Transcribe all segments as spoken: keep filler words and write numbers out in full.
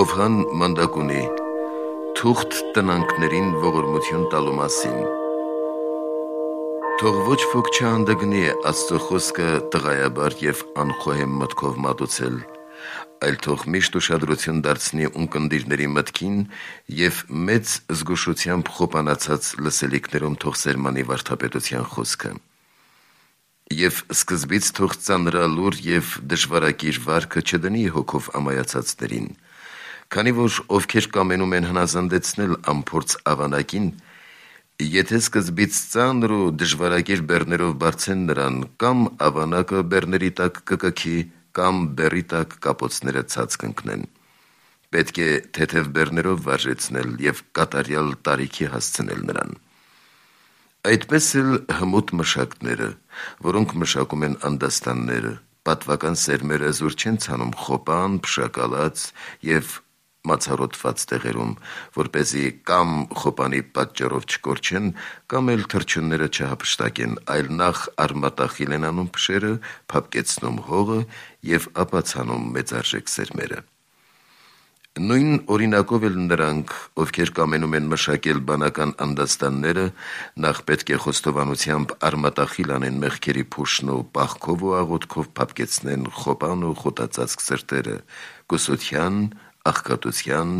Հովհան մանդակունի թուղթ տնանքներին ողորմություն տալու մասին։ Թող ոչ ոք չհանդգնի Աստծո խոսքը տղայաբար և անխոհեմ մտքով մատուցել, այլ թող միշտ ուշադրություն դարձնի ունկնդիրների մտքին և մեծ զգուշությամբ խոպանացած լսելիքներում թող սերմանի վարդապետության խոսքը։ Եվ սկզբից թող ծանրալուր և դժվարակիր վարքը չդնի հոգով ամայացածներին, քանի որ ովքեր կամենում են հնազանդեցնել անփորձ ավանակին, եթե սկզբից ծանր ու դժվարակիր բեռներով բարձեն նրան, կամ ավանակը բեռների տակ կկքի, կամ բեռի տակ կապոցները ցած կընկնեն։ Պետք է թեթև բեռներով վարժեցնել և կատարյալ տարիքի հասցնել նրան։ Այդպես էլ հմուտ մշակները, որոնք մշակում են անդաստանները, պատվական սերմերը զուր չեն ցանում խոպան, փշակալած և մացառոտված տեղերում, որպեսզի կամ խոպանի պատճառով չկորչեն, կամ էլ թռչունները չհափշտակեն, այլ նախ արմատախիլ են անում փշերը, փափկեցնում հողը և ապա ցանում մեծարժեք սերմերը։ Նույն օրինակով էլ նրանք, ովքեր կամենում են մշակել բանական անդաստանները, նախ պետք է խոստովանությամբ արմատախիլ անեն մեղքերի փուշն ու պաղքով ու աղոթքով փափկեցնեն խոպան ու խոտածածկ սրտերը, կուսության, աղքատության,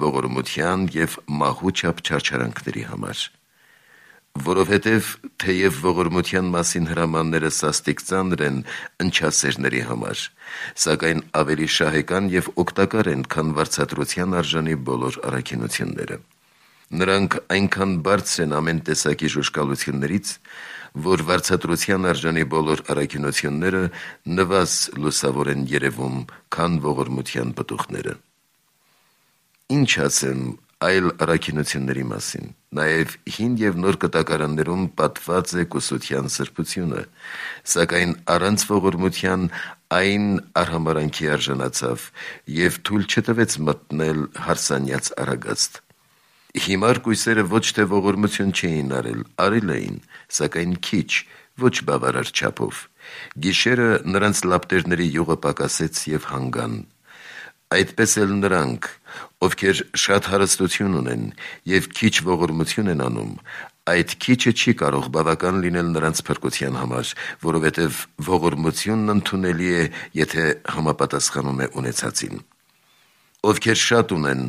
ողորմության և մահու չափ չարչարանքների համար։ Որովհետև թեև ողորմության մասին հրամանները սաստիկ ծանր են ընչասերների համար, սակայն ավելի շահեկան և օգտակար են, քան վարձատրության արժանի բոլոր առաքինությունները։ Նրանք այնքան բարձր են ամեն տեսակի ժուժկալություններից, որ վարձատրության արժանի բոլոր առաքինությունները նվազ լուսավոր են երևում, քան ողորմության պտուղները։ Ինչ ասեմ այլ առաքինությունների մասին, նաև հին և նոր կտակարաններում պատված է կուսության սրբությունը, սակայն առանց ողորմության այն արհամարհանքի արժանացավ և թույլ չտվեց մտնել հարսանյաց արագաստ։ Հիմար կույսերը ոչ թե ողորմություն չէին արել, արել էին, սակայն քիչ, ոչ բավարար չափով։ Գիշերը նրանց լապտերների յուղը պակասեց և հանգան։ Այդպես էլ նրանք, ովքեր շատ հարստություն ունեն և քիչ ողորմություն են անում, այդ քիչը չի կարող բավական լինել նրանց փրկության համար, որովհետև ողորմությունն ընդունելի է, եթե համապատասխանում է ունեցածին։ Ովքեր շատ ունեն,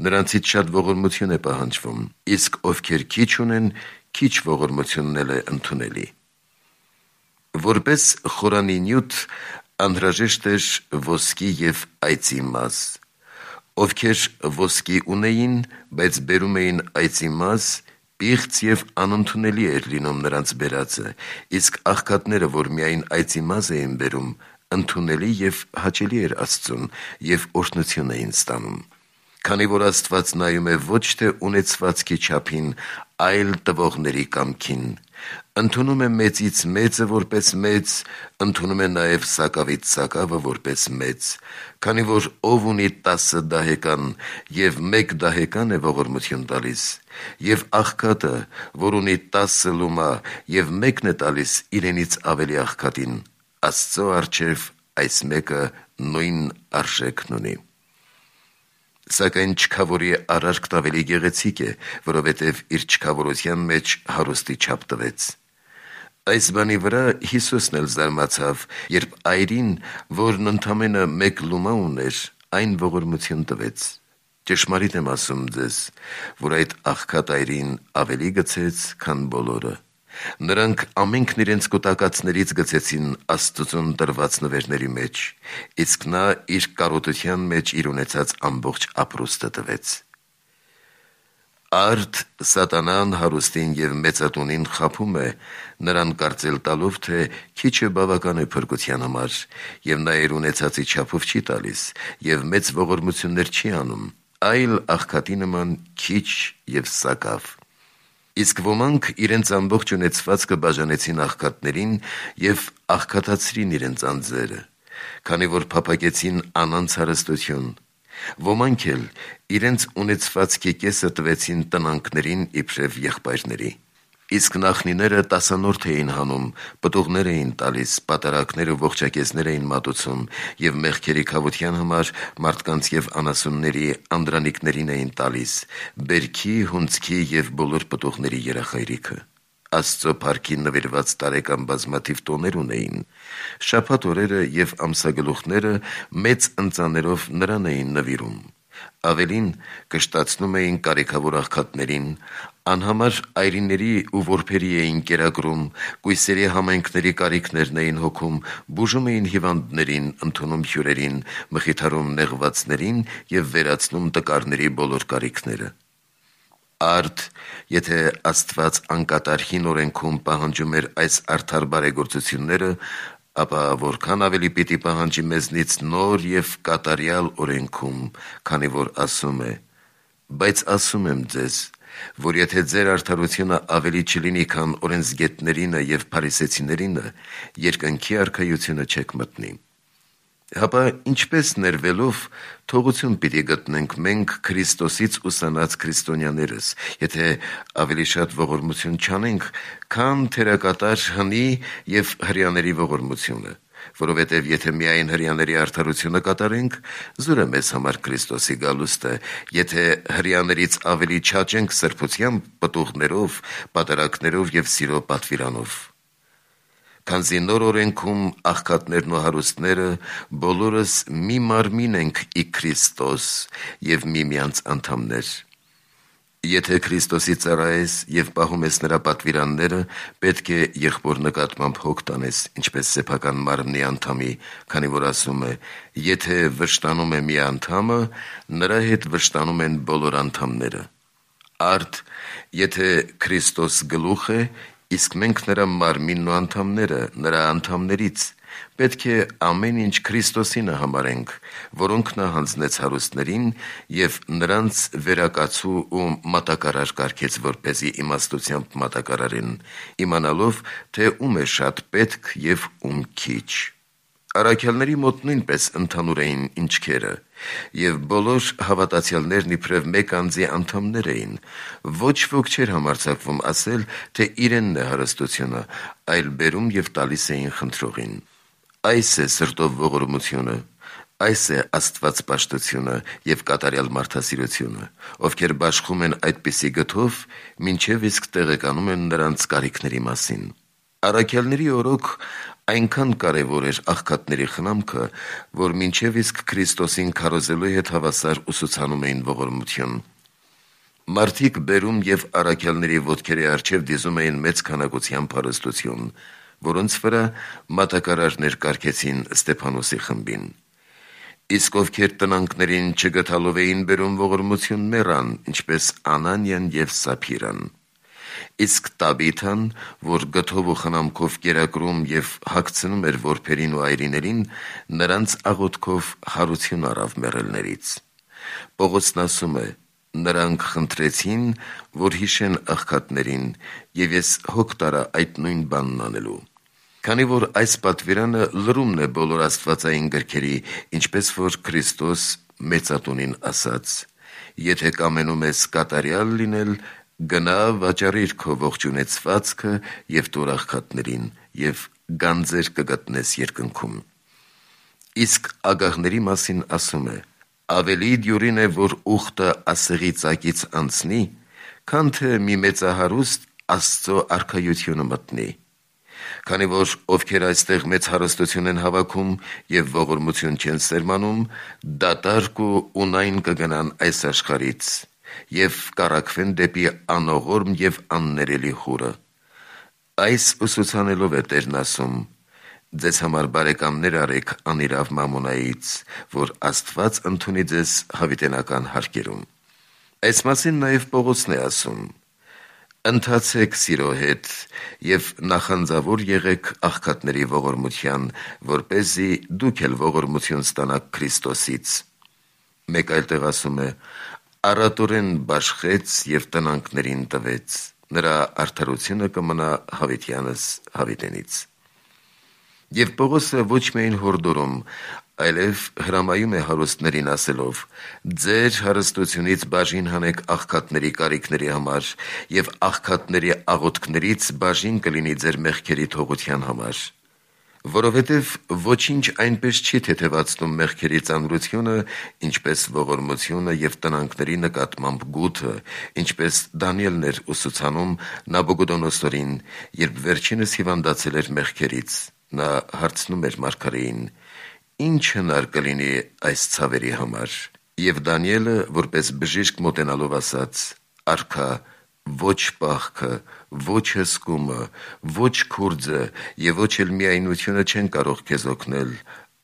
նրանցից շատ ողորմություն է պահանջվում, իսկ ովքեր քիչ ունեն, քիչ ողորմությունն էլ է ընդունելի։ Որպես խորանի նյութ անհրաժեշտ էր ոսկի և այծի մազ։ Ովքեր ոսկի ունեին, բայց բերում էին այծի մազ, պիղծ և անընդունելի էր լինում նրանց բերածը, իսկ աղքատները, որ միայն այծի մազ էին բերում, ընդունելի և հաճելի էր Աստծուն և օրհնություն էին ստանում։ Քանի որ Աստված նայում է ոչ թե ունեցվածքի չափին, այլ տվողների կամքին, ընդունում է մեծից մեծը որպես մեծ, ընդունում է նաև սակավից սակավը որպես մեծ, քանի որ ով ունի տասը դահեկան և մեկ դահեկան է ողորմություն տալիս, և աղքատը, որ ունի տասը լումա և մեկն է տալիս իրենից ավելի աղքատին, Աստծո առջև այս մեկը նույն արժեքն ունի։ Սակայն չքավորի արարքն ավելի գեղեցիկ է, որովհետև իր չքավորության մեջ հարուստի չափ տվեց։ Այս բանի վրա Հիսուսն էլ զարմացավ, երբ այրին, որն ընդամենը մեկ լումա ուներ, այն ողորմություն տվեց։ Ճշմարիտ եմ ասում ձեզ, որ այդ աղքատ այրին ավելի գցեց, քան բոլորը։ Նրանք ամենքն իրենց կուտակածներից գցեցին Աստծուն տրված նվերների մեջ, իսկ նա իր կարոտության մեջ իր ունեցած ամբողջ ապրուստը տվեց։ Արդ սատանան հարուստին և մեծատունին խաբում է, նրան կարծել տալով, թե քիչը բավական է փրկության համար, և նա իր ունեցածի չափով չի տալիս, և մեծ ողորմություններ չի անում, այլ աղքատի նման քիչ և սակավ։ Իսկ ոմանք իրենց ամբողջ ունեցվածքը բաժանեցին աղքատներին և աղքատացրին իրենց անձերը, քանի որ փափագեցին անանց հարստություն։ Ոմանք էլ իրենց ունեցվածքի կեսը տվեցին տնանքներին իբրև եղբայրների։ Իսկ նախնիները տասանորդ էին հանում, պտուղներ էին տալիս, պատարակներ ու ողջակեզներ էին մատուցում և մեղքերի քավության համար մարդկանց և անասունների անդրանիկներին էին տալիս, բերքի, հունձքի և բոլոր պտուղների երախայրիքը։ Աստծո փառքին նվիրված տարեկան բազմաթիվ տոներ ունեին։ Շաբաթ օրերը և ամսագլուխները մեծ ընծաներով նրան էին նվիրում։ Ավելին, կշտացնում էին կարիքավոր աղքատներին, անհամար այրիների ու որբերի էին կերակրում, կույսերի համայնքների կարիքներն էին հոգում, բուժում էին հիվանդներին, ընդունում հյուրերին, մխիթարում նեղվածներին և վերացնում տկարների բոլոր կարիքները։ Արդ, եթե Աստված անկատար հին օրենքում պահանջում էր այս արդար բարեգործությունները, ապա որքան ավելի պիտի պահանջի մեզնից նոր և կատարյալ օրենքում, քանի որ ասում է. «Բայց ասում եմ ձեզ, որ եթե ձեր արդարությունը ավելի չլինի, քան օրենսգետներինը և փարիսեցիներինը, երկնքի արքայությունը չեք մտնի»։ Հապա ինչպե՞ս ներվելով թողություն պիտի գտնենք մենք Քրիստոսից ուսանած քրիստոնյաներս, եթե ավելի շատ ողորմություն չանենք, քան թերակատար հնի և հրեաների ողորմությունը, որովհետև եթե միայն հրեաների արդարությունը կատարենք, զուր է մեզ համար Քրիստոսի գալուստը, եթե հրեաներից ավելի չաճենք սրբությամբ, պտուղներով, պատարակներով և սիրո պատվիրանով։ Քանզի նոր օրենքում աղքատներն ու հարուստները բոլորս մի մարմին ենք ի Քրիստոս և միմյանց անդամներ։ Եթե Քրիստոսի ծառայես և պահում ես նրա պատվիրանները, պետք է եղբոր նկատմամբ հոգ տանես, ինչպես սեփական մարմնի անդամի, քանի որ ասում է. «Եթե վշտանում է մի անդամը, նրա հետ վշտանում են բոլոր անդամները»։ Արդ, եթե Քրիստոս գլուխ է, իսկ մենք նրա մարմինն ու անդամները նրա անդամներից, պետք է ամեն ինչ Քրիստոսինը համարենք, որոնք նա հանձնեց հարուստներին և նրանց վերակացու ու մատակարար կարգեց, որպեսզի իմաստությամբ մատակարարեն, իմանալով, թե ում է շատ պետք և ում քիչ։ Առաքյալների մոտ նույնպես ընդհանուր էին ինչքերը, և բոլոր հավատացյալներն իբրև մեկ անձի անդամներ էին։ Ոչ ոք չէր համարձակվում ասել, թե իրենն է հարստությունը, այլ բերում և տալիս էին խնդրողին։ Այս է սրտով ողորմությունը, այս է աստվածպաշտությունը և կատարյալ մարդասիրությունը, ովքեր բաշխում են այդպիսի գթով, մինչև իսկ տեղեկանում են նրանց կարիքների մասին։ Առաքյալների օրոք այնքան կարևոր էր աղքատների խնամքը, որ մինչև իսկ Քրիստոսին քարոզելու հետ հավասար ուսուցանում էին ողորմություն։ Մարդիկ բերում և առաքյալների ոտքերի առջև դիզում էին մեծ քանակությամբ հարստություն, որոնց վրա մատակարարներ կարգեցին Ստեփանոսի խմբին։ Իսկ ովքեր տնանքներին չգթալով էին բերում ողորմություն, մեռան, ինչպես Անանիան և Սափիրան։ Իսկ Տաբիթան, որ գթով ու խնամքով կերակրում և հագցնում էր որբերին ու այրիներին, նրանց աղոթքով հարություն առավ մեռելներից։ Պողոսն ասում է. «Նրանք խնդրեցին, որ հիշեն աղքատներին, և ես հոգ տարա այդ նույն բանն անելու»։ Քանի որ այս պատվիրանը լրումն է բոլոր աստվածային գրքերի, ինչպես որ Քրիստոս մեծատունին ասաց. «Եթե կամենում ես կատարյալ լինել, գնա վաճառիր քո ողջունեցվածքը և տուր աղքատներին, և գանձեր կգտնես երկնքում»։ Իսկ ագահների մասին ասում է. «Ավելի դյուրին է, որ ուխտը ասեղի ծակից անցնի, քան թե մի մեծահարուստ Աստծո արքայությունը մտնի։ Քանի որ ովքեր այստեղ մեծ հարստություն են հավաքում և ողորմություն չեն սերմանում, դատարկ ու ունայն կգնան այս աշխարհից և կառաքվեն դեպի անողորմ և աններելի խուրը»։ Այս ուսուցանելով է Տերն ասում. «Ձեզ համար բարեկամներ արեք անիրավ մամոնայից, որ Աստված ընդունի ձեզ հավիտենական հարկերում»։ Այս մասին նաև Պողոսն է ասում. «Ընթացեք սիրո հետ և նախանձավոր եղեք աղքատների ողորմության, որպեսզի դուք էլ ողորմություն ստանաք Քրիստոսից»։ Մեկ այլ տեղ ասում է. «Առատորեն բաշխեց և տնանքներին տվեց, նրա արդարությունը կմնա հավիտյանս հավիտենից»։ Եվ Պողոսը ոչ միայն հորդորում, այլև հրամայում է հարուստներին ասելով. «Ձեր հարստությունից բաժին հանեք աղքատների կարիքների համար, և աղքատների աղոթքներից բաժին կլինի ձեր մեղքերի թողության համար»։ Որովհետև ոչինչ այնպես չի թեթևացնում մեղքերի ծանրությունը, ինչպես ողորմությունը և տնանքների նկատմամբ գութը, ինչպես Դանիելն էր ուսուցանում Նաբուգոդոնոսորին, երբ վերջինս հիվանդացել էր մեղքերից։ Նա հարցնում էր մարգարեին. «Ի՞նչ հնար կլինի այս ցավերի համար»։ Եվ Դանիելը, որպես բժիշկ մոտենալով ասաց. «Արքա, ոչ պահքը, ոչ հսկումը, ոչ քուրձը և ոչ էլ միայնությունը չեն կարող քեզ օգնել,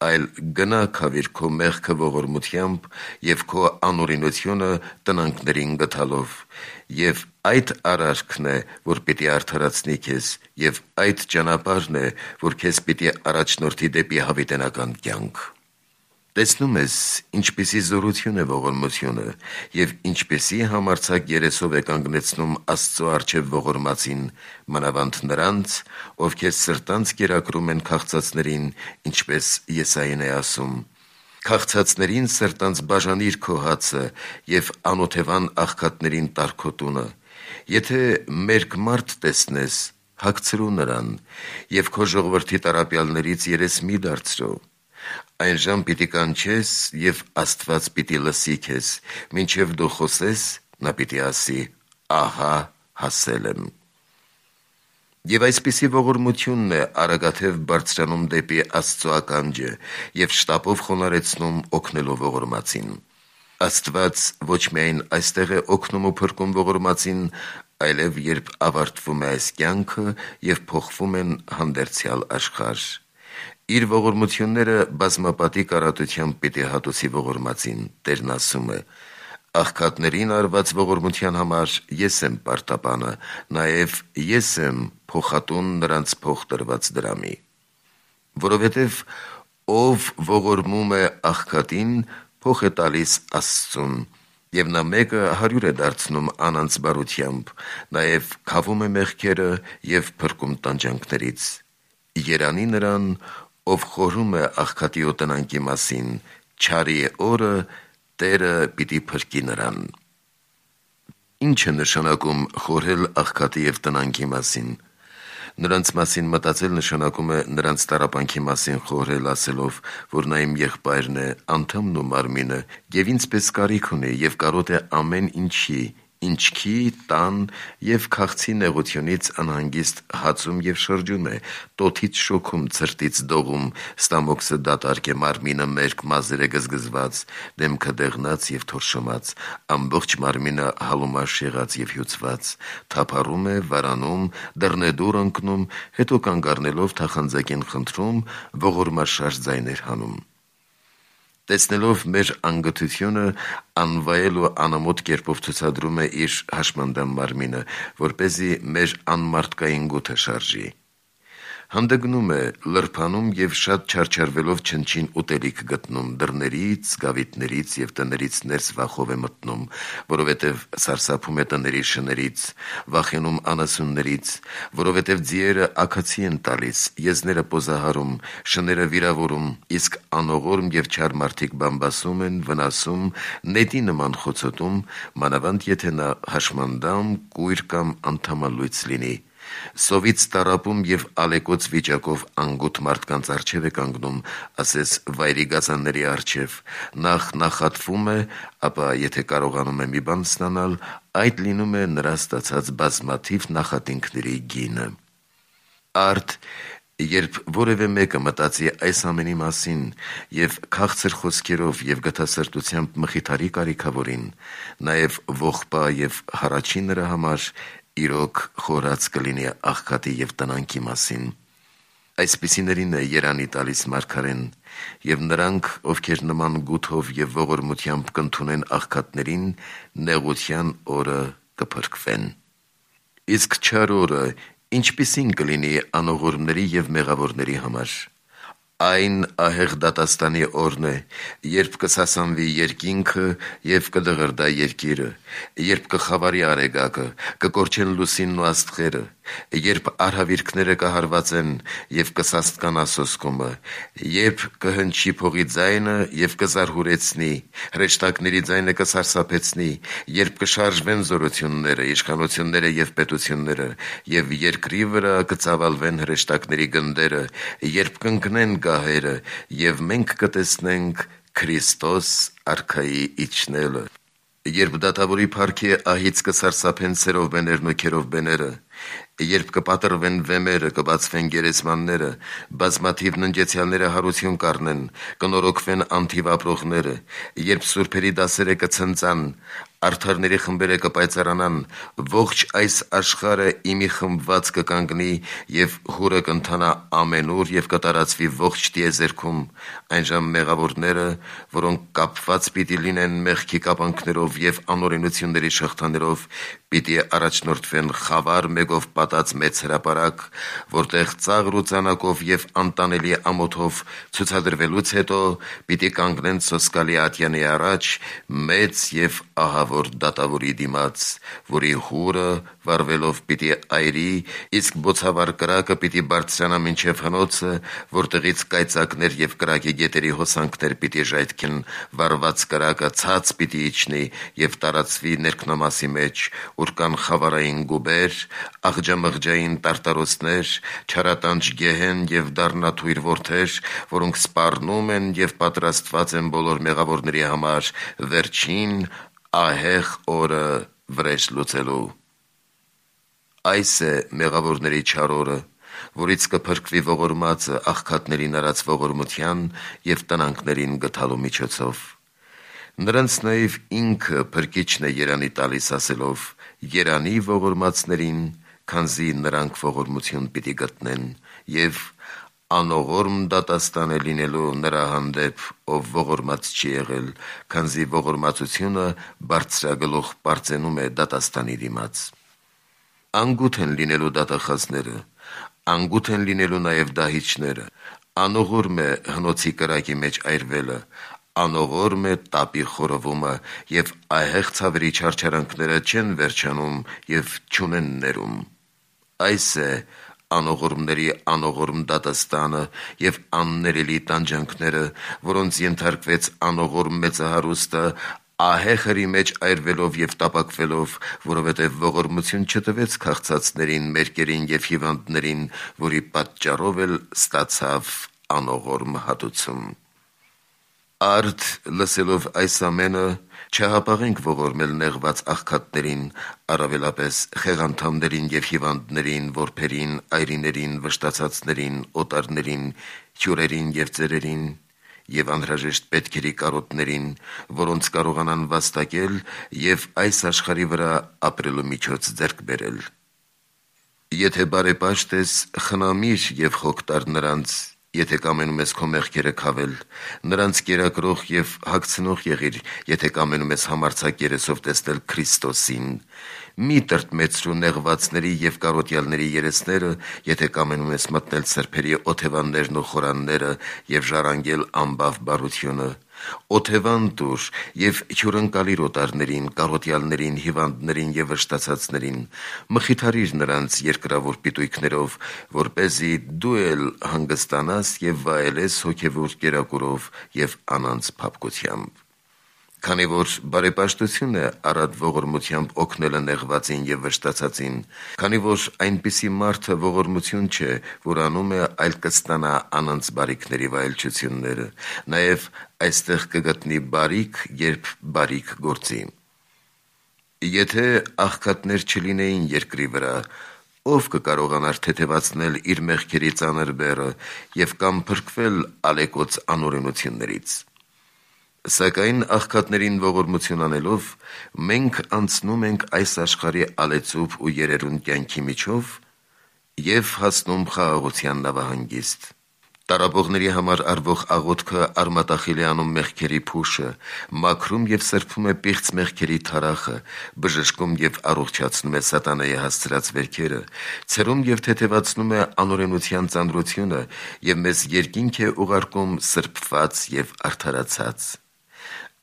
այլ գնա քավիր քո մեղքը ողորմությամբ և քո անօրենությունը տնանքներին գթալով, և այդ արարքն է, որ պիտի արդարացնի քեզ, և այդ ճանապարհն է, որ քեզ պիտի առաջնորդի դեպի հավիտենական կյանք»։ Տեսնում ես, ինչպիսի զորություն է ողորմությունը, և ինչպիսի համարձակ երեսով է կանգնեցնում Աստծո առջև ողորմածին, մանավանդ նրանց, ովքեր սրտանց կերակրում են քաղցածներին, ինչպես Եսային է ասում. «Քաղցածներին սրտանց բաժանիր քո հացը և անօթևան աղքատներին տար քո տունը։ Եթե մերկ մարդ տեսնես, հագցրու նրան, և քո ժողովրդի տառապյալներից երես մի դարձրու։ Այն ժամ պիտի կանչես, և Աստված պիտի լսի քեզ, մինչև դու խոսես, նա պիտի ասի. ահա հասել եմ»։ Եվ այսպիսի ողորմությունն է արագաթև բարձրանում դեպի Աստծո ականջը և շտապով խոնարհեցնում օգնելով ողորմածին։ Աստված ոչ միայն այստեղ է օգնում ու փրկում ողորմածին, այլև երբ ավարտվում է այս կյանքը և փոխվում են հանդերձյալ աշխարհ։ Իր ողորմությունները բազմապատիկ առատությամբ պիտի հատուցի ողորմածին։ Տերն ասում է. «Աղքատներին արված ողորմության համար ես եմ պարտապանը, նաև ես եմ փոխատուն նրանց փոխ տրված դրամի»։ Որովհետև ով ողորմում է աղքատին, փող է տալիս Աստծուն, և նա մեկը հարյուր է դարձնում անանց բարությամբ, նաև քավում է մեղքերը և փրկում տանջանքներից։ Երանի նրան, ով խորհում է աղքատի ու տնանքի մասին, չարի օրը Տերը պիտի փրկի նրան։ Ի՞նչ է նշանակում խորհել աղքատի և տնանքի մասին։ Նրանց մասին մտածել նշանակում է նրանց տառապանքի մասին խորհել, ասելով, որ նա իմ եղբայրն է, անդամն ու մարմինը, և ինձ պես կարիք ունի և կարոտ է ամեն ինչի, ինչքի, տան և քաղցի նեղությունից անհանգիստ հացում և շրջում է, տոթից շոգում, ցրտից դողում, ստամոքսը դատարկ է, մարմինը մերկ, մազերը գզգզված, դեմքը դեղնած և թորշոմած, ամբողջ մարմինը հալումաշ եղած և հյուծված, թափառում է, վարանում, դռնեդուռ ընկնում, հետո կանգ առնելով թախանձակին խնդրում, ողորմաշարժ ձայներ հանում։ Տեսնելով մեր անգթությունը, անվայել ու անամոթ կերպով ցուցադրում է իր հաշմանդամ մարմինը, որպեսզի մեր անմարդկային գութը շարժի։ Հանդգնում է, լրբանում և շատ չարչարվելով չնչին ուտելիք գտնում, դռներից, գավիթներից և տներից ներս վախով է մտնում, որովհետև սարսափում է տների շներից, վախենում անասուններից, որովհետև ձիերը աքացի են տալիս, եզները պոզահարում, շները վիրավորում, իսկ անողորմ և չար մարդիկ բամբասում են, վնասում, նետի նման խոցոտում, մանավանդ եթե նա հաշմանդամ, կույր կամ անդամալույծ լինի։ Սովից տառապում և ալեկոծ վիճակով անգութ մարդկանց առջև է կանգնում, ասես վայրի գազանների առջև, նախ նախատվում է, ապա եթե կարողանում է մի բան ստանալ, այդ լինում է նրա ստացած բազմաթիվ նախատինքների գինը։ Արդ, երբ որևէ մեկը մտածի այս ամենի մասին և քաղցր խոսքերով և գթասրտությամբ մխիթարի կարիքավորին, նաև ողբա և հառաչի նրա համար, իրոք խորած կլինի աղքատի և տնանքի մասին։ Այսպիսիներին է երանի տալիս մարգարեն, և նրանք, ովքեր նման գութով և ողորմությամբ կընդունեն աղքատներին, նեղության օրը կփրկվեն։ Իսկ չար օրը ինչպիսի՞ն կլինի անողորմների և մեղավորների համար։ Այն ահեղ դատաստանի օրն է, երբ կսասանվի երկինքը և կդղրդա երկիրը, երբ կխավարի արեգակը, կկորչեն լուսինն ու աստղերը, երբ արհավիրքները կհարված են եւ կսաստկանա սոսկումը, երբ կհնչի փողի ձայնը եւ կզարհուրեցնի, հրեշտակների ձայնը կսարսափեցնի, երբ կշարժվեն զորությունները, իշխանությունները եւ պետությունները, եւ երկրի վրա կծավալվեն հրեշտակների գնդերը, երբ կընկնեն գահերը, եւ մենք կտեսնենք Քրիստոս արքայի իջնելը, երբ դատավորի փառքի ահից կսարսափեն սերովբեներն ու քերովբեները, երբ կպատրվեն վեմերը, կբացվեն գերեզմանները, բազմաթիվ ննջեցյալները հարություն կառնեն, կնորոգվեն անթիվ ապրողները, երբ սուրբերի դասերը կցնծան, արդարների խմբերը կպայծառանան, ողջ այս աշխարհը իմի խմբված կկանգնի եւ հուրը կընթանա ամենուր եւ կտարածվի ողջ տիեզերքում, այնժամ մեղավորները, որոնք կապված պիտի լինեն մեղքի կապանքներով եւ անօրենությունների շղթաներով, պիտի առաջնորդվեն խավար մեկով պատած մեծ հրապարակ, որտեղ ծաղր ու ծանակով եւ անտանելի ամոթով ցուցադրվելուց հետո պիտի կանգնեն սոսկալի ատյանի առաջ մեծ եւ ահավոր դատավորի դիմաց, որի հուրը վարվելով պիտի այրի, իսկ բոցավառ կրակը պիտի բարձրանա մինչև հնոցը, որտեղից կայծակներ եւ կրակի գետերի հոսանքներ պիտի ժայթքեն, վարված կրակը ցած պիտի իջնի եւ տարածվի ներքնամասի մեջ, ուր կան խավարային գուբեր, աղջամղջային տարտարոցներ, չարատանջ գեհեն եւ դառնաթույր որդեր, որոնք սպառնում են եւ պատրաստված են բոլոր մեղավորների համար վերջին ահեղ օրը վրեժ լուծելու։ Այս է մեղավորների չար օրը, որից կփրկվի ողորմածը աղքատներին արած ողորմության եւ տնանքներին գթալու միջոցով։ Նրանց նաեւ ինքը փրկիչն է երանի տալիս ասելով. երանի ողորմածներին, քանզի նրանք ողորմություն պիտի գտնեն, եւ անողորմ դատաստան է լինելու նրա հանդեպ, ով ողորմած չի եղել, քանզի ողորմածությունը բարձրագլուխ պարծենում է դատաստանի դիմաց։ Անգութ են լինելու դատախազները, անգութ են լինելու նաև դահիճները, անողորմ է հնոցի կրակի մեջ այրվելը, անողորմ է տապի խորովումը, եւ ահեղ ցավերի չարչարանքները չեն վերջանում եւ չունեն ներում։ Այս է անողորմների անողորմ դատաստանը եւ աններելի տանջանքները, որոնց ենթարկվեց անողորմ մեծահարուստը, ահեղերի մեջ այրվելով եւ տապակվելով, որովհետեւ ողորմություն չտվեց քաղցածներին, մերկերին եւ հիվանդներին, որի պատճառով էլ ստացավ անողորմ հատուցում։ Արդ լսելով այս ամենը, չհապաղենք ողորմել նեղված աղքատներին, առավելապես խեղանդամներին եւ հիվանդներին, որբերին, այրիներին, վշտացածներին, օտարներին, հյուրերին եւ ծերերին, եւ անհրաժեշտ պետքերի կարոտներին, որոնց կարողանան վաստակել եւ այս աշխարհի վրա ապրելու միջոց ձեռք բերել։ Եթե բարեպաշտ ես, խնամիր եւ խոք տար նրանց, եթե կամենում ես քո մեղքերը քավել, նրանց կերակրող եւ հագցնող եղիր, եթե կամենում ես համարձակ երեսով տեսնել Քրիստոսին, մի տրտմեցրու նեղվածների եւ կարոտյալների երեսները, եթե կամենում ես մտնել սրբերի օթևաններն ու խորանները եւ ժառանգել անբավ բարությունը, օթևան տուր եւ հյուրընկալիր օտարներին, կարոտյալներին, հիվանդներին եւ վշտացածներին, մխիթարիր նրանց երկրավոր պիտույքներով, որպեսզի դու էլ հանգստանաս եւ վայելես հոգեվոր կերակուրով եւ անանց փափկությամբ։ Քանի որ բարեպաշտություն է առատ ողորմությամբ օգնելը նեղվածին եւ վշտացածին, քանի որ այնպիսի մարդը ողորմություն չէ, որ անում է, այլ կստանա անանց բարիքների վայելչությունները, նաեւ այստեղ կգտնի բարիք, երբ բարիք գործի։ Եթե աղքատներ չլինեին երկրի վրա, ով կկարողանար թեթևացնել իր մեղքերի ծանր բեռը եւ կամ փրկվել ալեկոծ անօրենություններից։ Սակայն աղքատներին ողորմություն անելով, մենք անցնում ենք այս աշխարհի ալեցուփ ու երերուն կյանքի միջով եւ հասնում խաղաղության նավահանգիստ։ Տարապողների համար արվող աղոթքը արմատախիլ է անում մեղքերի փուշը, մաքրում եւ սրբում է պիղծ մեղքերի թարախը, բժշկում եւ առողջացնում է սատանայի հասցրած վերքերը, ցրում եւ թեթևացնում է անօրենության ծանրությունը եւ մեզ երկինք է ուղարկում սրբված եւ արդարացած։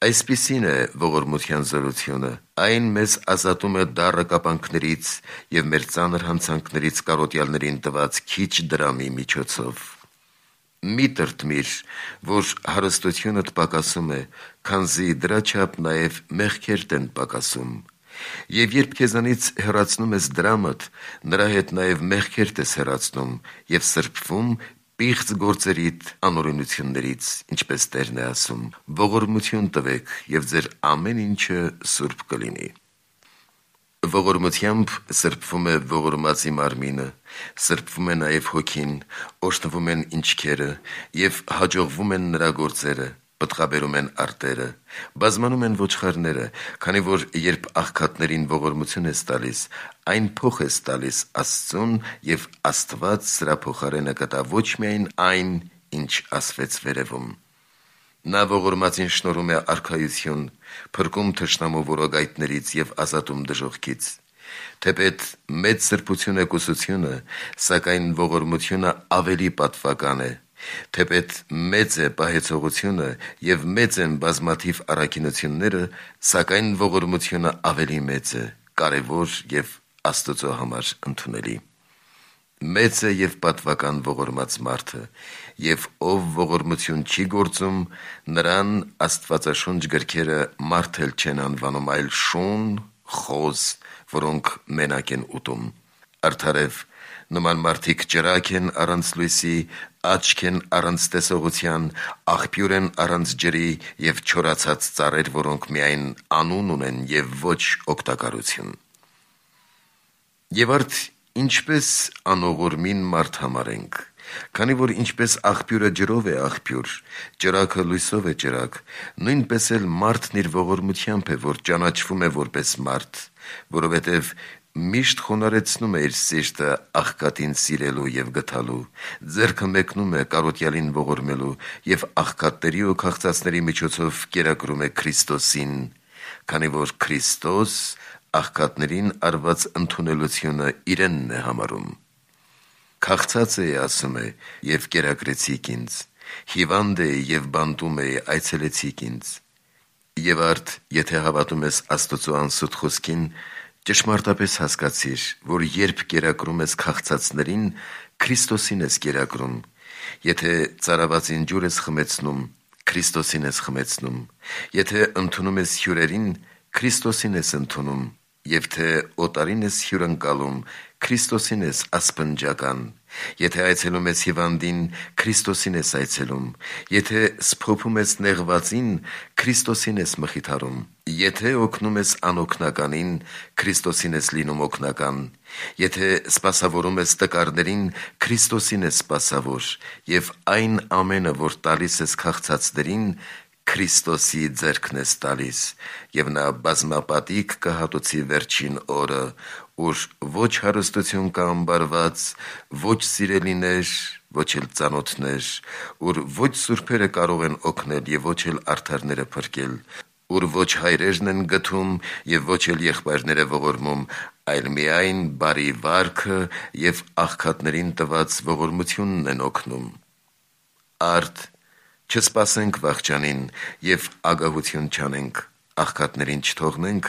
Այսպիսին է ողորմության զորությունը, այն մեզ ազատում է դառը կապանքներից և մեր ծանր հանցանքներից կարոտյալներին տված քիչ դրամի միջոցով։ Մի տրտմիր, որ հարստությունդ պակասում է, քանզի դրա չափ նաև մեղքերդ են պակասում։ Եվ երբ քեզանից հեռացնում ես դրամդ, նրա հետ նաև մեղքերդ ես հեռացնում և սրբվում պիղծ գործերիդ անօրենություններից, ինչպես Տերն է ասում. ողորմություն տվեք և ձեր ամեն ինչը սուրբ կլինի։ Ողորմությամբ սրբվում է ողորմածի մարմինը, սրբվում է նաև հոգին, օրհնվում են ինչքերը և հաջողվում են նրա գործերը, պտղաբերում են արտերը, բազմանում են ոչխարները, քանի որ երբ աղքատներին ողորմություն ես տալիս, այն փոխ ես տալիս Աստծուն, և Աստված սրա փոխարենը կտա ոչ միայն այն, ինչ ասվեց վերևում։ Նա ողորմածին շնորհում է արքայություն, փրկում թշնամու որոգայթներից և ազատում դժոխքից։ Թեպետ մեծ սրբություն է կուսությունը, սակայն ողորմությունը ավելի պատվական է։ Թեպետ մեծ է պահեցողությունը և մեծ են բազմաթիվ առաքինությունները, սակայն ողորմությունը ավելի մեծ է, կարևոր և Աստծո համար ընդունելի։ Մեծ է և պատվական ողորմած մարդը, և ով ողորմություն չի գործում, նրան աստվածաշունչ գրքերը մարդ էլ չեն անվանում, այլ շուն, խոզ, որոնք մենակ են ուտում։ Արդարև, նման մարդիկ ճրագ են առանց լույսի, աչք են առանց տեսողության, աղբյուր են առանց ջրի և չորացած ծառեր, որոնք միայն անուն ունեն և ոչ օգտակարություն։ Եվ արդ ինչպես անողորմին մարդ համարենք, քանի որ ինչպես աղբյուրը ջրով է աղբյուր, ճրագը լույսով է ճրագ, նույնպես էլ մարդն իր ողորմությամբ է, որ ճանաչվում է որպես մարդ, որովհետև միշտ խոնարհեցնում է իր սիրտը աղքատին սիրելու և գթալու, ձեռքը մեկնում է կարոտյալին ողորմելու և աղքատների ու քաղցածների միջոցով կերակրում է Քրիստոսին, քանի որ Քրիստոս աղքատներին արված ընդունելությունը իրենն է համարում։ Քաղցած էի, ասում է, և կերակրեցիք ինձ, հիվանդ էի և բանտում էի, այցելեցիք ինձ։ Եվ արդ, եթե հավատում ես Աստծո անսուտ խոսքին, ճշմարտապես հասկացիր, որ երբ կերակրում ես քաղցածներին, Քրիստոսին ես կերակրում, եթե ծարավածին ջուր ես խմեցնում, Քրիստոսին ես խմեցնում, եթե ընդունում ես հյուրերին, Քրիստոսին ես ընդունում, և թե օտարին ես հյուրընկալում, Քրիստոսին ես ասպնջական, եթե այցելում ես հիվանդին, Քրիստոսին ես այցելում, եթե սփոփում ես նեղվածին, Քրիստոսին ես մխիթարում, եթե օգնում ես անօգնականին, Քրիստոսին ես լինում օգնական, եթե սպասավորում ես տկարներին, Քրիստոսին ես սպասավոր, և այն ամենը, որ տալիս ես քաղցածներին, Քրիստոսի ձեռքն ես տալիս, և նա բազմապատիկ կհատուցի վերջին օրը, ուր ոչ հարստություն կա ամբարված, ոչ սիրելիներ, ոչ էլ ծանոթներ, ուր ոչ սուրբերը կարող են օգնել և ոչ էլ արդարները փրկել, ուր ոչ հայրերն են գթում և ոչ էլ եղբայրները ողորմում, այլ միայն բարի վարքը և աղքատներին տված ողորմությունն են օգնում։ Արդ, չսպասենք վախճանին և ագահություն չանենք, աղքատներին չթողնենք,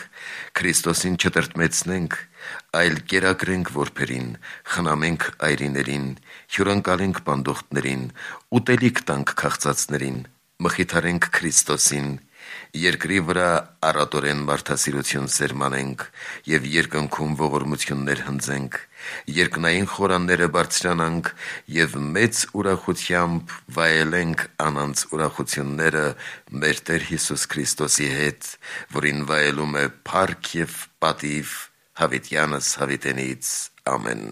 Քրիստոսին չտրտմեցնենք, այլ կերակրենք որբերին, խնամենք այրիներին, հյուրընկալենք բանդողտներին, ուտելիք տանք քաղցածներին, մխիթարենք Քրիստոսին, երկրի վրա առատորեն մարդասիրություն սերմանենք և երկնքում ողորմություններ հնձենք, երկնային խորանները բարձրանանք և մեծ ուրախությամբ վայելենք անանց ուրախությունները մեր Տեր Հիսուս Քրիստոսի հետ, որին վայելում է փառք և պատիվ հավիտյանս հավիտենից։ Ամեն։